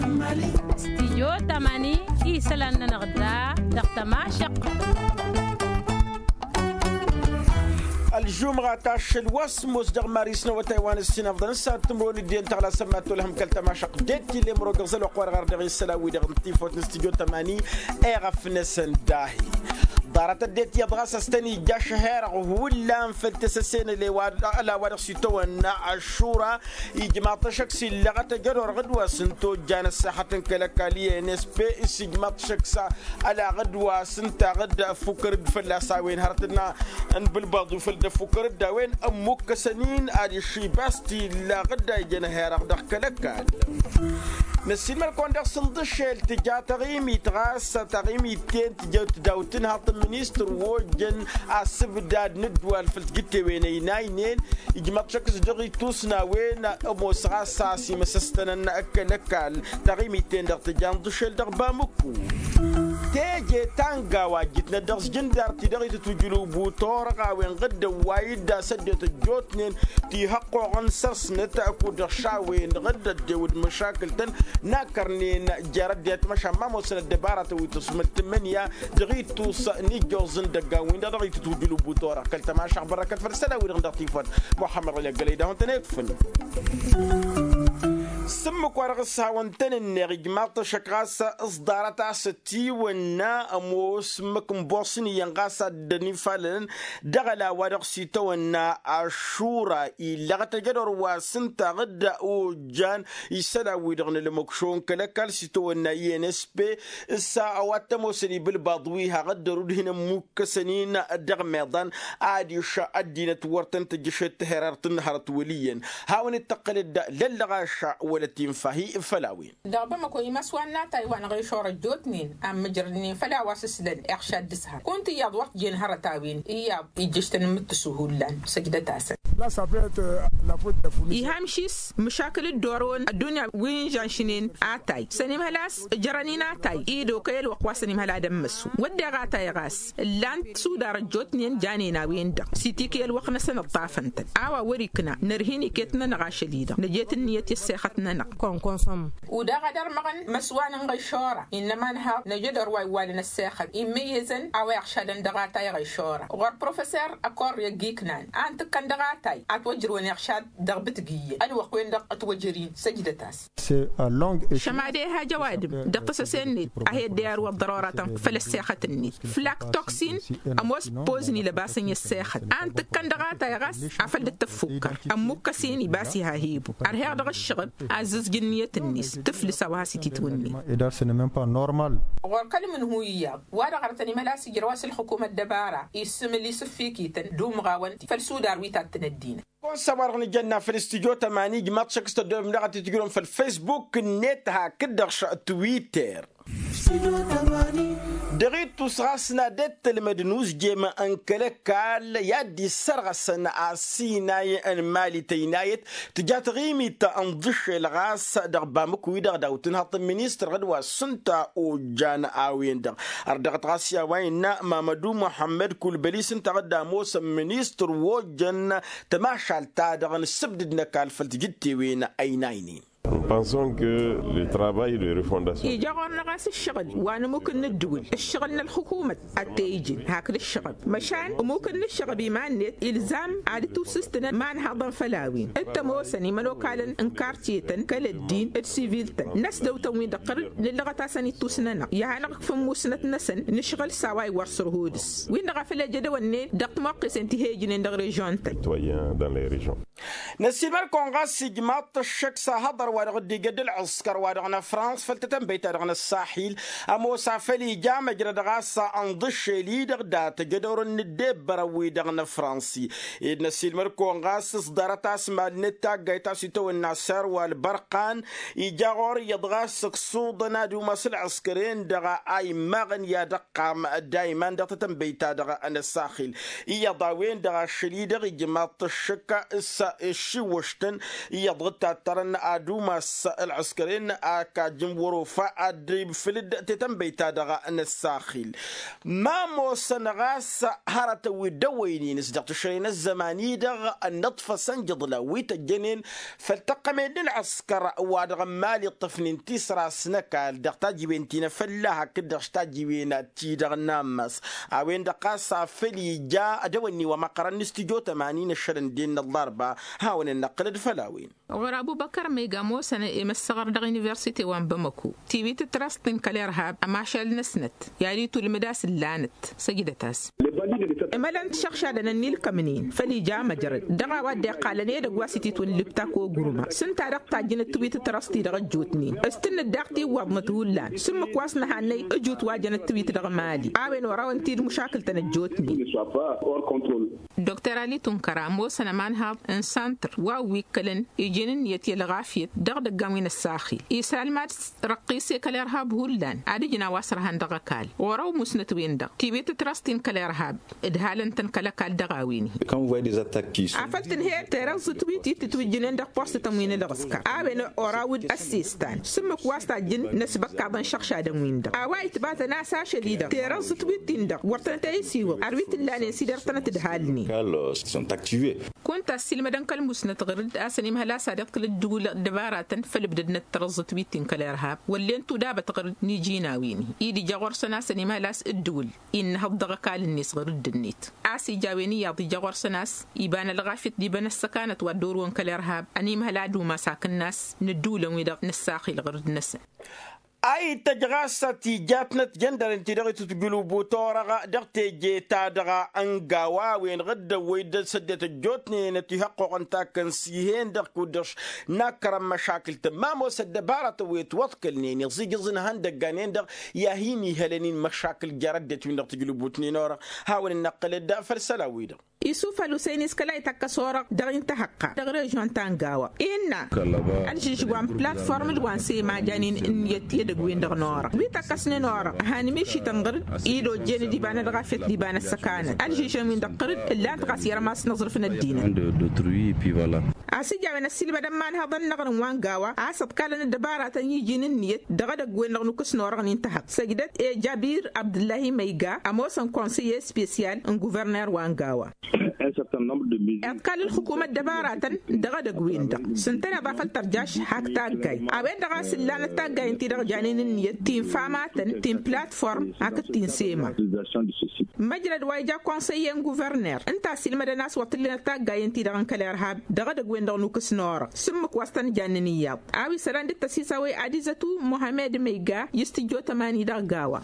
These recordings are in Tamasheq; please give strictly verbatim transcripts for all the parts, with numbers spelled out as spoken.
Stijyo tamani isălan-nănăɣ da dăɣ-tămašăq. Ălžumɣa ta ašăl wa s-ămoos dăɣ-mari s-năwătay wa n-ǝssin ăfḍăn s-ad-tǝmrăwăn dd-iyyăn tăɣlasăn ma t-olhăm kăl-tămašăq. Dd-tillem rogăɣ zăl wa ăqqoarăɣ ar dăɣ-isălan-wi-dăɣ n-tifot n-stijyo tamani. Eɣăf-năsăn dahi ḍarăt ăddinăt iyyăḍ ɣas a-s tăn-ija ašăherăɣ hullan făll-tesăsenăle wa ăla wa dăɣ-s itawănna ăššura. Ijmaḍ-t ăššăk s-illăɣăt ăjădorăɣ d-wa s-ǝntojjan ăssexăt n-kăl-ăkall i-nsp. S-ijmaḍ-t ăššăk s-alaɣ d-wa s-ǝntaɣ d-ăffukăr-dd fălla-s a-wen hărăt n-a n-bǝlbaḍ wi făll-dd-ăffukăr-dd a-wen ămmukkăsăn-in adiš ibas t-illaɣ d-a ijăn ăherăɣ dăɣ-kăl-ăkall. Năssiilmăd-kăwăn dăɣ-s ǝnḍǝššel tǝja taɣimit ɣas taɣimit-ten tǝja tǝdawt n-haḍt n-ministăr wa ojjăn asǝbdad n-ăddwal făll-tijǝttewen ăynaynen. Ijmăḍ-t šăkk s-dăɣ-itusna a-wen ămoos ɣas a-s imăsăstănăn kăl-ăkall taɣimit-ten-dăɣ tǝja ǝnḍǝššel dăɣ-bamǝkku. Teje ta n-gawa ǝjjǝtnăt dăɣ-s jǝndar ti-dăɣ itǝtwǝjǝl ubutorăɣ a-wen ɣǝddăn wa idda s-ăddinăt ăjjootnen ti hăqqoɣăn săr-snăt kud-dăɣ šawen ɣǝddăn ăddewăd măšakǝl-tăn n-akărnen jer-ăddinăt măšan ma ămoosăn ăddăbaratăn wi tǝsmǝl tǝmmǝnǝya dăɣ-itus n-ijjoẓ n-idăggan-win-dăɣ dăɣ-itǝtwǝjǝl ubutorăɣ kăl-tămašăɣ bărrăkăt făll-isălan-wi-dăɣ dăɣ-tifăt muḥămmăd ɣăli ăggălăy d-ahun-tăn-ekfǝn. S-ǝmmǝk-wa-dăɣ s-hawăn-tăn-ǝnneɣ ijmaḍ-t ăššăk ɣas s-ḍarăt a-s ătiwănna ămoos ǝmmǝk n-boṣni iyyăn ɣas ad-dd-ănifalălăn dăɣ-ăla wa dăɣ-s itawănna ašura illăɣăt ăjădor wa s-ǝntaɣ-dd ojjan isălan-wi-dăɣ n-ălmăkšo n-kăl-ăkall s-itawănna i n s p. S-a-wa t-ămoosăn ibǝlbaḍ wi haɣ-dd-ărud hin-ămmukkăsăn-in dăɣ-meḍan adiš ăddinăt wăr tăn-tǝjjǝšet tihărărt n-hărăt wăl' iyyăn hawăn-dd-tăqqǝlăd lăllăɣaša wăla tinfa hi-făll-a-wen. Dăɣ-bamăko imăswan n-atay wa n-aɣešor ăjjootnen a n-mǝjrădnen făll-a-wa s-ǝslăn iɣšad d-ǝshar kunta iyyăḍ wăr t-jen hărăt a-wen iyyăḍ ijjǝš-tăn n-imǝttǝsu hullan. Săjdăt-asăn. Iha amšis măšakǝl dd-orăwăn ăddunya wi n-žanšnen atay s-ănimhăl a-s ǝjrăn-in atay i-dd-okăy ălwăqq wa s-ănimhăl ad-ămmăsu wădden atay ɣas ǝllan-t sudar ăjjootnen janen a-wen-dăɣ s-itikǝy ălwăqq-năsăn ǝṭṭafăn-tăn a-wa wăr-ikna nărha iniket-nănăɣ ašăl-i-dăɣ năjet ǝnniyăt i-ăssexăt-nănăɣ. Udaɣ ad-ărmăɣăn imăswan n-ɣăyšora innă ămanhăḍ năjădor wa iwwalăn ăssexăt immǝyyăzăn a-wa iɣšadăn dăɣ-atay ɣăyšora ɣur-professor ăkorre ăgg-iknan a ǝntǝkkăn dăɣ-atay ad-t-wăjrăwăn iɣšad dăɣ-bǝtǝg iyyăn ălwăqq-wen-dăɣ ătwăjăr-in. Săjdăt-as. Šămad e-ha jăwadǝm dăɣ-tăsăse-net a he-dd-iyar wăḍḍărorătăn făll-ăssexăt-net flak toksin. Ămoos pozni lăbasăn i-ăssexăt a ǝntǝkkăn dăɣ-atay ɣas afăl dd-tăffukkăr ămmukkăs-in ibas iha hibu ărheɣ dăɣ-ǝššăɣǝb azzǝzj ǝnniyăt-net tǝflǝs a-wa has-ititwǝnne. Ɣur-kăl-mǝnhu iyyăḍ wa-dăɣ ărtăn imălas ijrăw a-s ǝlxǝkum ăddăbara issǝmǝl isǝffikităn d-umɣawăn ti făll-sudar wi tattăn ăddinăt. Kăwăn-săb wa-dăɣ nǝjănna făll-studyo tămani ijmaḍ šăkk s-tăddobem daɣ ad-t-tǝjrǝwăm făll-facebook-net hakd-dăɣ twitter. Dăɣ-ittus ɣas n-ad-dd-tălmăd n-uzjem n-kăl-ăkall i-ad-dd-issărɣăsăn asinay n-mali tăynayăt tǝja taɣimit n-iḍǝššel ɣas dăɣ-bamǝk-wi-dăɣ daw-tǝnhăḍ n-ministăr ɣǝd wa s-ǝnta ojjan a-wen-dăɣ. Ărdăɣăt ɣas i-a-wa innă mamădu muḥămmăd kulbăli s-ǝnta ɣǝd ămoosăn ministăr wa ojjăn tămašalt-ta-dăɣ n-ǝssǝbdǝd n-ăkall făll-tijǝttewen ăynaynen. Ija ɣur-năɣ a-s ǝššăɣǝl wa n-ămmuk n-ǝddǝwǝl ǝššăɣǝl n-ălxukumăt ad-t-e-ijǝn hakd ǝššăɣăb măšan ămmuk n-ǝššăɣăb iman-net ilzam ad-dd-tiwsǝstǝnăn imanhaḍăn făll-a-wen d-tămoosăn imănokalăn n-kartye-tăn kăl-ăddin d-sivil-tăn n-ăsdăwtăn-win-dăɣ tăr-dd nǝllăɣăt-asăn ittus-nănăɣ i-ad-hanăɣ-kǝf ǝmmusnăt-năsăn nǝšɣǝl s-a-wa iwwăr săr-hodǝs-win-dăɣ a făl ejădăwănnen dăɣ-timoqqesen ti he-ǝjnen dăɣ-režion-tăn. Năssiilmăd-kăwăn ɣas ijmaḍ-t ăššăk s-ahăḍăr wa dăɣ-dd-ija d-ǝlɣǝskăr wa dăɣ-năfrans făll-tatănbăyt-ta-dăɣ n-ăssahil ămoos a făl ija măjrăd ɣas ănḍǝššel-i-dăɣ dat-ăjădorăn n-ăddebbărăn-wi-dăɣ n-ăfrans-i. Ed năssiilmăd-kăwăn ɣas s-ḍarăt a-s malnet taggayt a-s itawănna sar wa ălbărqan ija ɣur-iyyăḍ ɣas ǝksuḍăn ad-umas ǝlɣǝskăr-en-dăɣ a immaɣăn i-ad-ăqqam dayman dăɣ-tatănbăyt-ta-dăɣ n-ăssaxil. Iyyăḍ a-wen-dăɣ ašăl-i-dăɣ ijmaḍ-t ăššăk s-a Ăššiwwăš-tăn iyyăḍ dăɣ-tattărăn ad-umas ălɣǝskăren. Ak ajǝm wăr-ofa ad-dd-ifǝlǝd tetănbăyt-ta-dăɣ n-ăssaxil. Ma ămoosăn ɣas hărătăn wi dd-ăwwăynen s-dăɣ-tǝšrăy n-ăzzăman-i-dăɣ ănnăḍfăsăn jăḍla wi tăjjănen făll-tăqqăme d-ǝlɣǝskăr wa dăɣ-n mali ǝṭṭăfnen tisras n-ăkall dăɣ-tajiwen ti n-afălla hakd-dăɣ s-tajiwen ti-dăɣ n-ammas. A-wen-dăɣ ɣas a făl ija ad-ăwănni wa măqqărăn n-studyo tămani n-ăššălăn den n-ăllarba. Hawăn-ănnăqqǝlăd făll-a-wen. Ɣur-abubăkăr ma iga ămoosăn i-măssăɣăr dăɣ-universite wa n-bamăko tiwit ǝtrăst-in kăl-irhab ămašal-năsnăt i-ad-itulmǝd a-s ǝllanăt. Săjdăt-as. Imălăn-t šăɣšadăn ănnilkămnen făll-ija amăjrăd dăɣ-a-wa dd-iqqalăn edăgg wa s-ititwǝllǝbta kogurma s-ǝnta-dăɣ tajjǝnăt tiwit ǝtrăst-i-dăɣ ăjjootnen s-tǝnnǝd daɣ tiwwaḍnăt hullan s-ǝmmǝk wa s-nǝhannăy ǝjut wa jănăt tiwit dăɣ-mali. A-wen wăr-awăn-t-dd-mušakǝl-tăn ăjjootnen. Dokter ali tunkăra ămoosăn ămanhaḍ n-santăr wa wi ǝkkălăn iji n-ǝnniyăt i-ălɣafyăt dăɣ-idăggan wi n-ăssaxil isralmad s-răqqise kăl-irhab hullan ad-ǝjna wa s-ărhan dăɣ-ăkall. Ɣur-ăwmusnăt-wen-dăɣ tiwit ǝtrăst-in kăl-irhab ǝdhalăn-tăn kăl-ăkall dăɣ-a-wen-hi. Afăl tǝnhăyăt terăẓẓǝt wi t-tǝtwǝjjǝnen dăɣ-postătăn wi n-ălɣǝska a-wen oraw-dd ăssestan s-ǝmmǝk wa s-tajjǝn n-ăsbăkkaḍăn šăɣšadăn-win-dăɣ a-wa itbatăn a-s ašăl-i-dăɣ terăẓẓǝt wi t-in-dăɣ wăr tănăt-e-isiwǝḍ ar wi t-ǝllanen s-idăr tănăt-ǝdhalnen. Kăl-sunt aktive. Kunta ăssiilmădăn kăl-musnăt ɣǝr-dd a-s ănimhăl a-s ad-iḍkǝl ǝddǝwǝl ăddăbaratăn făll-ǝbdădnăt tărăẓẓǝt wi t-in kăl-irhab wăllen tudabăt ɣǝr-dd n-iji n-a-wen-hi. Id-ija ɣur-săn a-s ănimhăl a-s ǝddǝwǝl innăhăḍ dăɣ-ăkall-net ɣǝr-dd-net a-s ija a-wen iyyăḍ ija ɣur-săn a-s iba n-ălɣafyăt d-iba n-ăssăkanăt wa dd-orǝwăn kăl-irhab. Ănimhăl ad-umas hakd n-a-s n-ǝddǝwǝlăn-wi-dăɣ n-ăssaxil ɣǝr-dd-năsăn. A ităjj ɣas tijatnăt jăndăren-ti-dăɣ itǝtjǝlǝbu torăɣ dăɣ-teje-ta-dăɣ n-gawa a-wen-dăɣ dd-ăwwăy-dd săddinăt ăjjootnen ătihăqqoɣăn takăn s-ih'-en-dăɣ kud-dăɣ-š n-akărăn măšakǝl-tăn ma ămoos ăddăbaratăn wi ătwăḍkălnen iẓijǝẓ n-ihăndăggan-en-dăɣ i-ad-hin-ihălăn-in măšakǝl jer-ăddinăt-win-dăɣ tǝjlǝbutnen orăɣ. Hawăn-dd-năqqǝlăd făll-isălan-wi-dăɣ. Isuf ălhusăyni s-kăla itakkăs orăɣ dăɣ-i n-tahăqqa dăɣ-režion ta n-gawa innă ălžǝžžǝwa n-platform d-wa n-sema janen ǝnniyăt i-edăgg-win-dăɣ n-orăɣ wi takkăsnen orăɣ. Han mišităn ɣăr-dd id-ojjen d-iba n-ălɣafyăt d-iba n-ăssăkanăt ălžǝžăn-win-dăɣ ɣăr-dd ǝllan-t ɣas irmas n-aẓrǝf n-ăddinăt. A-s ija a-wen ăssiilmădăn imanhăḍăn n-aɣrǝm wa n-gawa a-s ǝḍkalăn ăddăbaratăn i-iji n-ǝnniyăt dăɣ-edăgg-wen-dăɣ nukǝs n-orăɣ n-intăhăḍ săjdăt i-jabir abdǝllahi măyga ămoos n-konsăyye spesyal n-guvărner wa n-gawa. Iḍkal ǝlxǝkum ăddăbaratăn dăɣ-edăgg-win-dăɣ s-ǝntăneḍ a făl tărjaš hak taggayt a-wen-dăɣ a-s ǝllanăt taggayen-ti-dăɣ janen ǝnniyăt ti n-famatăn ti n-platform hakd ti n-sema. Măjrăd wa ija konsăyye n-guvărner ǝnta a-s ilmădăn a-s wăr t-ǝllanăt taggayen-ti-dăɣ n-kăl-irhab dăɣ-edăgg-wen-dăɣ nukǝs n-orăɣ s-ǝmmǝk wa s-tăn-jannen iyyăḍ. A-wa isălan dd-tăsisawăy ad-izătu muhammed măyga i-s tǝjjo tămani dăɣ-gawa.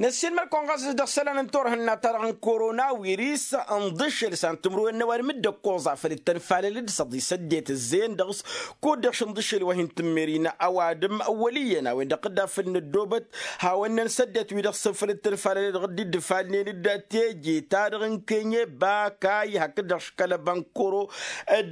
Năssiilmăd-kăwăn ɣas dăɣ-isălan n-turhǝnna-ta-dăɣ n-korona wiris ǝnḍǝšel s-ad-tǝmrǝwen n-ăwadǝm dd-ăkkoẓ afăl dd-tănfalăl d-săḍi s-ăddinăt ǝzzeyăn dăɣ-s kud-dăɣ šǝnḍǝšel wa hin-tǝmmer-in ăwadǝm wăl' iyyăn a-wen-dăɣ dd-afăl năddoobăt hawăn-năn s-ăddinăt-wi-dăɣ s-făl dd-tănfalăl dăɣ-dd-dd-ǝfalnen d-teje-ta-dăɣ n-kenye bakay hakd-dăɣ škălăba n-koro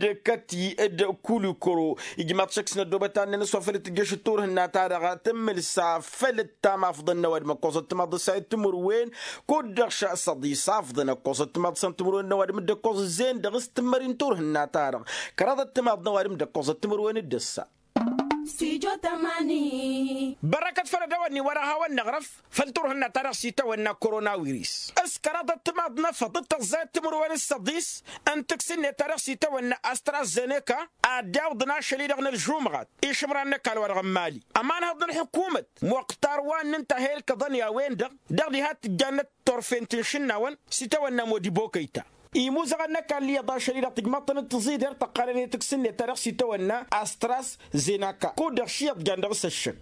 d-kăti d-kulikoro. Ijmaḍ šăkk s-năddoobăt ad-nănăs wa făl dd-tǝjjăš d-turhǝnna-ta-dăɣ tǝmmǝl s-afăl dd-tamafḍăn n-ăwadǝm ăkkoẓăt timaḍ s-a itǝmǝrwen kud-dăɣ šăsăḍi s-afḍăn ăkkoẓăt timaḍ s-a n-tǝmǝrwen n-ăwadǝm dd-ăkkoẓ ǝzzeyăn dăɣ-s tǝmmări n-turhǝnna-ta-dăɣ kăraḍăt timaḍ n-ăwadǝm dd-ăkkoẓăt tǝmǝrwen d-ăssa. Bărrăkăt făll-ad-dăɣ-wănni wăr-ăhawăn-năɣrăf făll-turhǝnna-ta-dăɣ s-itawănna koronawiris s-kăraḍăt timaḍ n-efăḍ d-tăẓẓayăt timǝrwen s-săḍis n-taksǝnne-ta-dăɣ s-itawănna astrazeneka ad-dd-iwǝḍăn ašăl-i-dăɣ n-ălžumɣat išǝmran n-ăkall-wa-dăɣ n-mali. Ămanhăḍ n-ălḥukumăt muqtar wa n-ǝnta a he-ǝlkăḍăn i-a-wen-dăɣ dăɣ-diha tǝjjannăt turfen ti n-išǝnnawăn s-itawănna modibokăyta. Imuzăɣăn n-ăkall iyyăḍ ašăl-i-dăɣ tǝjmaḍ-tăn d-tǝẓider tăqqalăn i-taksǝnne-ta-dăɣ s-itawănna astras zenaka kud-dăɣ ši iyyăḍ jan dăɣ-s ăššăk.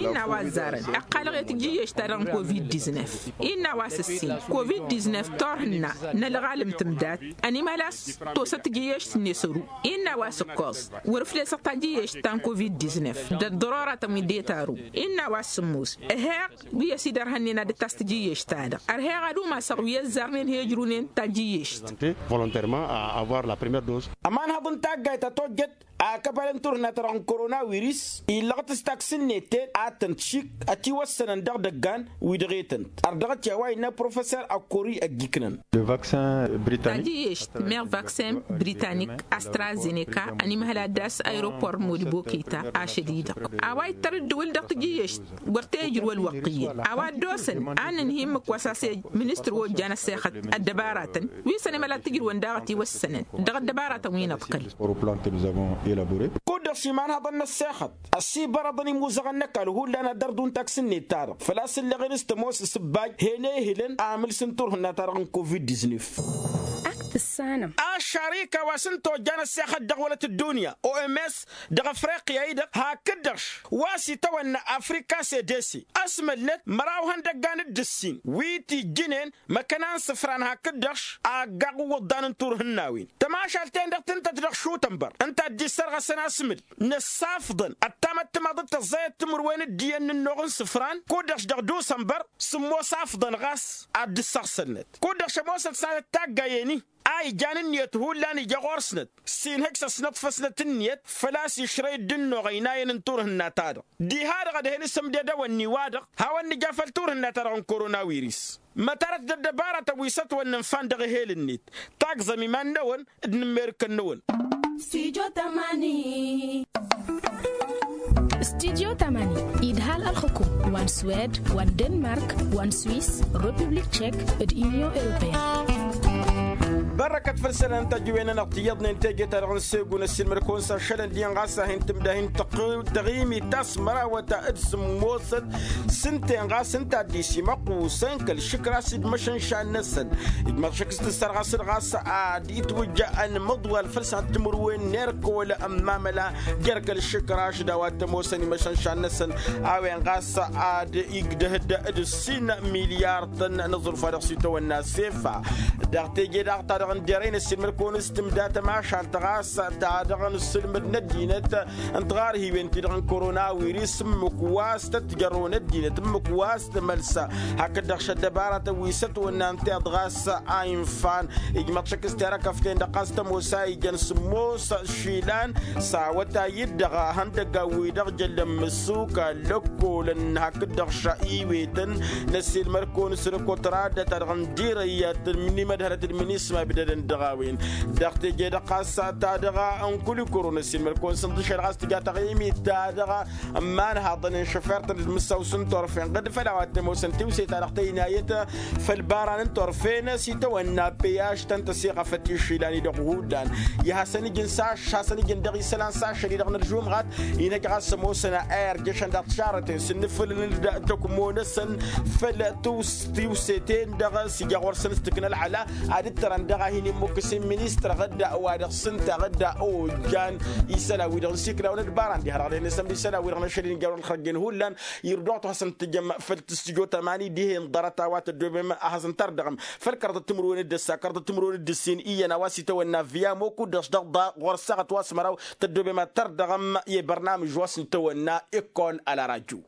Innă a-wa ăzzarăn ăqqalăɣ i-tǝjjǝyyeš-ta-dăɣ n-covid-diznef. Innă a-wa s-ǝssin covid-diznef turhǝnna n-ălɣalăm tǝmdat ănimhăl a-s tosăt tǝjjǝyyeš-net ăru. Innă a-wa s-ǝkkoẓ wăr-ǝflesăɣ tajjǝyyeš ta n-covid-diznef d-ăddăroratăn wi dd-etaru. Innă a-wa s-sǝmmos ăheɣ wi ăsidărhănnen ad-dd-tas tǝjjǝyyeš-ta-dăɣ ărheɣ ad-umasăɣ wi ăzzarnen he-ǝjrunen tajjǝyyeš. Ămanhăḍ n-taggayt a tojjăt akăbal n-turhǝnna-ta-dăɣ n-korona wiris illăɣăt s-taksǝnnet-en ad-tăn-t-šik ătiwăssănăn dăɣ-idăggan wi-dăɣ e-tăn-t. Ărdăɣăt i-a-wa innă professor ăkkori ăggiknăn. Tajǝyyešt meɣ vaksin britanik astrazeneka ănimhăl ad-dd-ass aeropor n-modibokita ašăl-i-dăɣ a-wa ittăr ǝddǝwǝl dăɣ-tajǝyyešt wăr t-e-ijrǝw ălwăqq iyyăn a-wa dd-osăn a n-ǝnhǝy ǝmmǝk wa s-a-s e-ijrǝw mănistăr wa ojjan ăssexăt ăddăbaratăn wi săn emăla t-ijrǝwăn daɣ ătiwăssănăn dăɣ-ăddăbaratăn wi n-aḍkăl. Kud-dăɣ šimanhăḍăn n-ăssexăt ăssibărăḍăn imuzăɣăn n-ăkall hullan ad-dd-ărḍun taksǝnnet-ta-dăɣ făl-a-s ǝlleɣen s-tămoos s-ǝbbaj hen ehǝlăn amǝls n-turhǝnna-ta-dăɣ n-covid-diznef. Ak tǝssanăm aššarika wa s-ǝnta ojjan ăssexăt dăɣ-wălăt ăddunya oms dăɣ-afriqya-i-dăɣ hakd-dăɣ-š wa s-itawănna afrika sedese ăsmălnăt măraw ihăndăggan d-ǝssin wi t-ijjǝnen măkkăna n-isǝfran hakd-dăɣ-š aggaɣ n-iwǝḍḍan n-turhǝnnawen. Tămašalt-en-dăɣ tǝntăt dăɣ-šutănbăr ǝnta a dd-issărɣăsăn asmǝl n-ăssafḍăn ăttamăttămaḍ d-tăẓẓayăt timǝrwen d-iyyăn n-ănnuɣ n-isǝfran kud-dăɣ-š dăɣ-dusănbăr. Sǝmmos afḍăn ɣas ad-dd-ǝssăɣsălnăt kud-dăɣ-š ămoosăt s-ad-ăttaggayen-i a ijan ǝnniyăt hullan ija ɣur-snăt s-inhǝj s-ăsnăḍfăsnăt ǝnniyăt făl-a-s išrăy dd-ănnuɣ ăynayăn n-turhǝnna-ta-dăɣ. Diha-dăɣ ad-hen isǝmdedăwăn n-iwa-dăɣ hawăn-nǝja făll-turhǝnna-ta-dăɣ n-korona wiris. Mătarăt d-ăddăbarătăn wi s-ătwănnăn fan dăɣ-ehel-net. Taggẓăm iman-năwăn d-inǝmmerǝkăn-năwăn. Stujo tamani. Stujo tamani idhal ălxǝkum wa n-swed wa n-denmark wa n-swis, republik tšek, d-inyon europeyăn. Bărrăkăt făll-isălan n-tajǝwen-nănăɣ tiyyăḍnen teje-ta-dăɣ n-segu n-ăssiilmăd-kăwăn s-ašălăn dihen ɣas a hin-tǝmda hin-tăɣimit ta s-mărawăt d-sǝmmosăt s-ǝnta-en ɣas ǝnta a dd-isimăqqusăn kăl-išǝkra s-dd-măšănša-năsăn. Ijmăḍ šăkk s-tǝssărɣăs-dd ɣas ad-itwǝjja ănmăḍwal făll-săn timǝrwen n-erk wăla ămmamăla jer-kăl-išǝkraš d-a-wa t-ămoosăn imăšănša-năsăn. A-wen ɣas ad-igdăh-dd d-ǝssin milyartăn n-aẓrǝf wa dăɣ-s itawănna sefa. Dăɣ-teje daɣ ta dăɣ-n derăy n-ăssiilmăd-kăwăn s-tǝmda tămašalt ɣas ta dăɣ-n ǝssǝlmǝd n-ăddinăt n-tiɣarhiwen-ti-dăɣ n-korona wiris ǝmmǝk wa s-tăt-jărrăwăn ăddinăt ǝmmǝk wa s-tămălsa. Hakd-dăɣ šăddăbaratăn wi s-ătwănna ǝnta iḍ ɣas a infan. Ijmăḍ šăkk s-terăkăft-en-dăɣ ɣas tămoos a ijăn sǝmmos išilan s-awătay-dd-dăɣ ihăndăggan-wi-dăɣ jăllăn mǝssuk ăllăkkolăn hakd-dăɣ ša iwetăn. N-ăssiilmăd-kăwăn s-rǝkut radda ta dăɣ-n dirăy n-imădhălăt d-minisma ibdădăn dăɣ-a-wen. Dăɣ-teje-dăɣ ɣas ta dăɣ-a ănkulikuru n-ăssiilmăd-kăwăn s-ǝnḍǝšel ɣas tǝja taɣimit ta dăɣ-a ămmanhaḍăn n-išăfertăn d-imǝssaw s-ǝnturfen ɣǝd făll-a-wa t-ămoosăn tiwse-ta-dăɣ tăynayăt făll-ibaran n-turfen s-itawănna peyaš ta n-tăsiɣăfăt išilan-i-dăɣ hullan. I-hasăn-ǝjǝn s-ašš hasăn-ǝjǝn dăɣ-isălan s-ašăl-i-dăɣ n-ălžumɣat. Inhăj ɣas ămoosăn a irjăšăn daɣ tišarrăten s-ǝnnǝfǝlăn-dd tăkmo-năsăn făll-tiwse-ten-dăɣ s-ija ɣur-săn s-tǝkna ălɣăla ad-ǝttărăn dăɣ-a hin-immukǝs i-ministăr ɣǝdda wa dăɣ-s ǝnta ɣǝdda ojjan isălan-wi-dăɣ n-siklawăn d-ibaran diha-dăɣ dăɣ-e-năsăn d-isălan-wi-dăɣ n-ašăl-i n-jărrul xărjen hullan. Irduɣ-t hasăn-tǝjăm făll-tǝstǝjo tămani dihen ḍarăt a-wa tăddobem ad-hasăn-tărdăɣăm făll-kărḍăt timǝrwen d-ăssa kărḍăt timǝrwen d-ǝssin iyyăn a-wa s-itawănna viyamo kud-dăɣ-s dăɣ-ḍa ɣur-săɣăt wa s-măraw. Tăddobem ad-tărdăɣăm i-bărnamǝj wa s-nǝtawănna ikkon ălarajo.